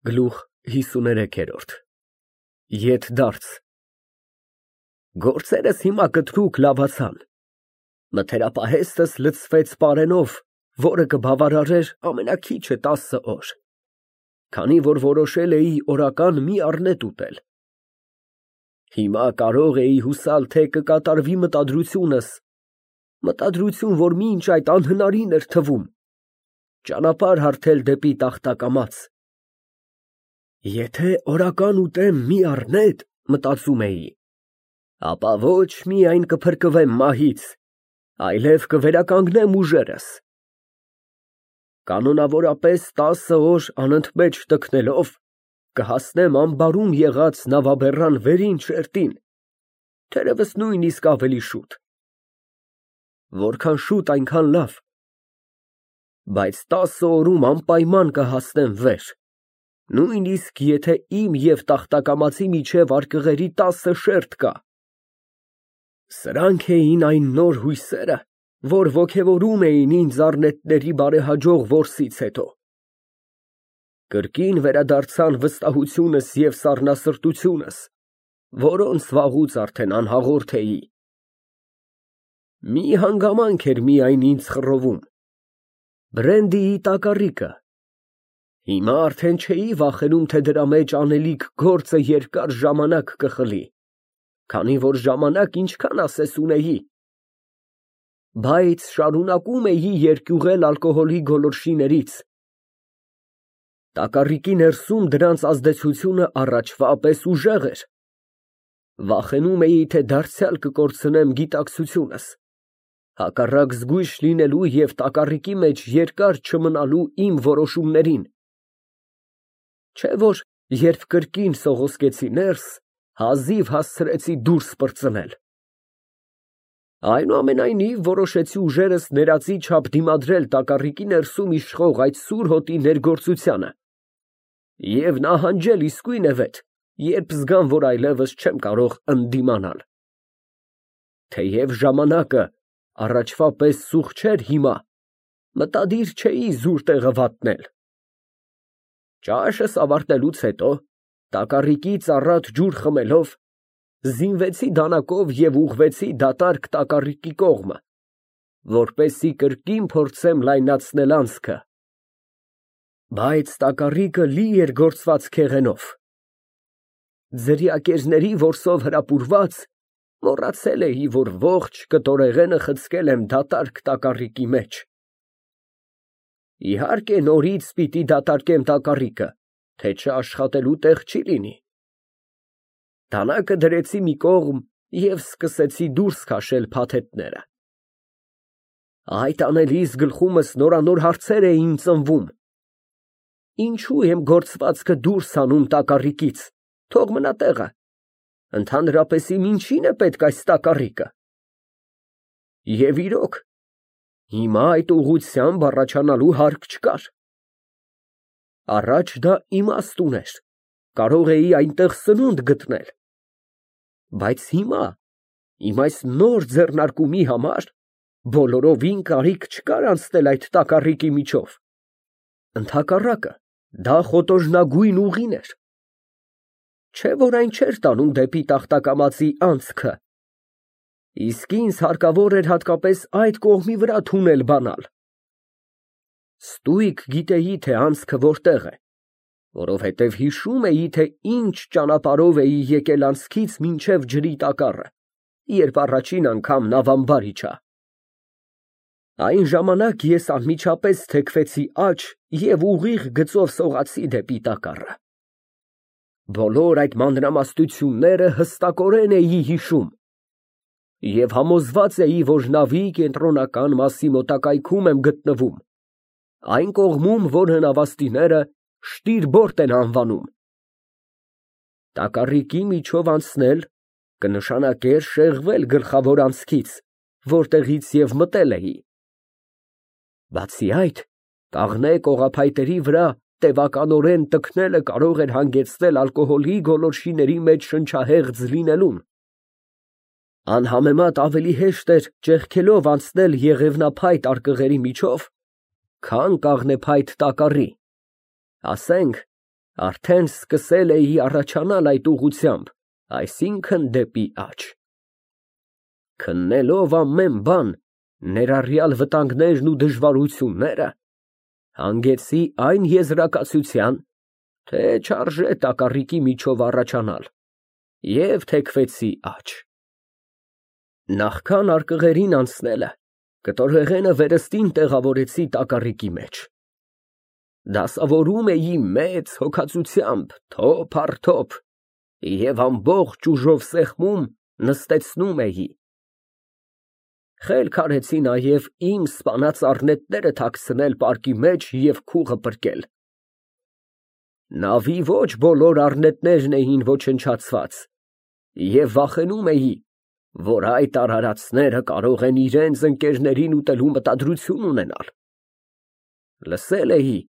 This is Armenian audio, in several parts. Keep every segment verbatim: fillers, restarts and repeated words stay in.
Գլուխ հիսուներեքերորդ Ետդարձ Գործերս հիմա կտրուկ լավացան, մթերապահեստս լցվեց պարենով, որը կբավարարեր ամենաքիչը տասը օր, քանի որ որոշել էի օրական մի առնետ ուտել։ Հիմա կարող էի հուսալ, թե կկատարվի մտադրությունս, մտադրություն, որ մինչ այդ անհնարին էր թվում, ճանապարհ հարթել դեպի տախտակամաց։ Եթե օրական ուտեմ մի առնետ, մտածում էի, ապա ոչ միայն կփրկվեմ մահից, այլև կվերականգնեմ ուժերս։ Կանոնավորապես տասը օր անընդմեջ տքնելով, կհասնեմ ամբարում եղած նավաբեռան վերին չերտին, թերևս նույնիսկ ավելի շուտ։ Որքան շուտ, այնքան լավ, բայց տասը օրում անպայման կհասնեմ վեր, նույնիսկ եթե իմ և տախտակամածի միջև արկղերի տասը շերտ կա։ Սրանք էին այն նոր հույսերը, որ ոգևորում էին ինձ առնետների բարեհաջող որսից հետո։ Կրկին վերադարձան վստահությունս և սառնասրտությունս, որոնց վաղուց արդեն անհաղորդ էի։ Մի հանգամանք էր միայն ինձ խռովում՝ բրենդիի տակառիկը։ Հիմա արդեն չէի վախենում, թե դրա մեջ անելիք գործը երկար ժամանակ կխլի, քանի որ ժամանակ ինչքան ասես ունեի, բայց շարունակում էի երկյուղել ալկոհոլի գոլորշիներից։ Տակառիկի ներսում դրանց ազդեցությունը առաջվա պես ուժեղ էր։ Վախենում էի, թե դարձյալ կկորցնեմ գիտակցությունս, հակառակ զգույշ լինելու և տակառիկի մեջ երկար չմնալու իմ որոշումներին։ Չէ՞ որ երբ կրկին սողոսկեցի ներս, հազիվ հասցրեցի դուրս պրծնել։ Այնուամենայնիվ, որոշեցի ուժերս ներածի չափ դիմադրել տակառիկի ներսում իշխող այդ սուր հոտի ներգործությանը և նահանջել իսկույնևեթ, երբ զգամ, որ այլևս չեմ կարող ընդդիմանալ։ Թեև ժամանակը առաջվա պես սուղ չէր հիմա, մտադիր չէի զուր տեղը վատնել։ Ճաշս ավարտելուց հետո, տակառիկից առատ ջուր խմելով, զինվեցի դանակով և ուղղվեցի դատարկ տակառիկի կողմը, որպեսզի կրկին փորձեմ լայնացնել անցքը։ Բայց տակառիկը լի էր գործված քեղենով։ Ձրիակերների որսով հրապուրված, մոռացել էի, որ ողջ կտորեղենը խցկել եմ դատարկ տակառիկի մեջ։ Իհարկե, նորից պիտի դատարկեմ տակառիկը, թե չաշխատելու տեղ չի լինի։ Դանակը դրեցի մի կողմ և սկսեցի դուրս քաշել փաթեթները։ Այդ անելիս գլխումս նորանոր հարցեր էին ծնվում. ինչու եմ գործվածքը դուրս հանում տակառիկից, թող մնա տեղը, ընդհանրապես իմ ինչին է պետք այս տակառիկը։ Եվ իրոք, հիմա այդ ուղղությամբ առաջանալու հարկ չկար։ Առաջ դա իմաստ ուներ, կարող էի այնտեղ սնունդ գտնել, բայց հիմա, իմ այս նոր ձեռնարկումի համար, բոլորովին կարիք չկար անցնել այդ տակառիկի միջով։ Ընդհակառակը, դա խոտոժնագույն ուղին էր։ Չէ՞ որ այն չէր տանում դեպի տախտակամածի անցքը, իսկ ինձ հարկավոր էր հատկապես այդ կողմի վրա թունել բանալ։ Ստույգ գիտեի, թե անցքը որտեղ է, որովհետև հիշում էի, թե ինչ ճանապարհով էի եկել անցքից մինչև ջրի տակառը, երբ առաջին անգամ նավամբար իջա։ Այն ժամանակ ես անմիջապես թեքվեցի աջ և ուղիղ գծով սողացի դեպի տակառը։ Բոլոր այդ մանրամասնությունները հստակորեն էի հիշում և համոզված էի, որ նավի կենտրոնական մասի մոտակայքում եմ գտնվում, այն կողմում, որը նավաստիները շտիրբորտ են անվանում։ Տակառիկի միջով անցնել կնշանակեր շեղվել գլխավոր անցքից, որտեղից և մտել էի։ Բացի այդ, կաղնե կողափայտերի վրա տևականորեն տքնելը կարող էր հանգեցնել ալկոհոլի գոլորշիների մեջ շնչահեղձ լինելուն։ Անհամեմատ ավելի հեշտ էր ճեղքելով անցնել եղևնափայտ արկղերի միջով, քան կաղնեփայտ տակառի, ասենք, Արդեն սկսել էի առաջանալ այդ ուղղությամբ, այսինքն դեպի աջ։ Քննելով ամեն բան, ներառյալ վտանգներն ու դժվարությունները, հանգեցի այն եզրակացության, թե չարժե տակառիկի միջով առաջանալ, և թեքվեցի աջ։ Նախքան արկղերին անցնելը, կտորեղենը վերստին տեղավորեցի տակառիկի մեջ։ Դասավորում էի մեծ հոգածությամբ, թոփ առ թոփ, և ամբողջ ուժով սեղմում, նստեցնում էի։ Խելք արեցի նաև իմ սպանած առնետները թաքցնել պարկի մեջ և քուղը պրկել։ Նավի ոչ բոլոր առնետներն էին ոչնչացված, և վախենում էի, որ այդ արարածները կարող են իրանց ընկերներին ուտելու մտադրություն ունենալ։ Լսել էի,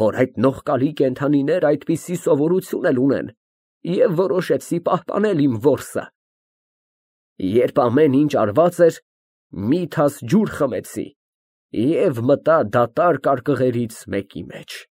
որ այդ նողկալի կենդանիները այդպիսի սովորություն էլ ունեն, և որոշեցի պահպանել իմ որսը։ Երբ ամեն ինչ արված էր, մի թաս ջուր խմեցի և մտա դատարկ արկղերից մեկի մեջ։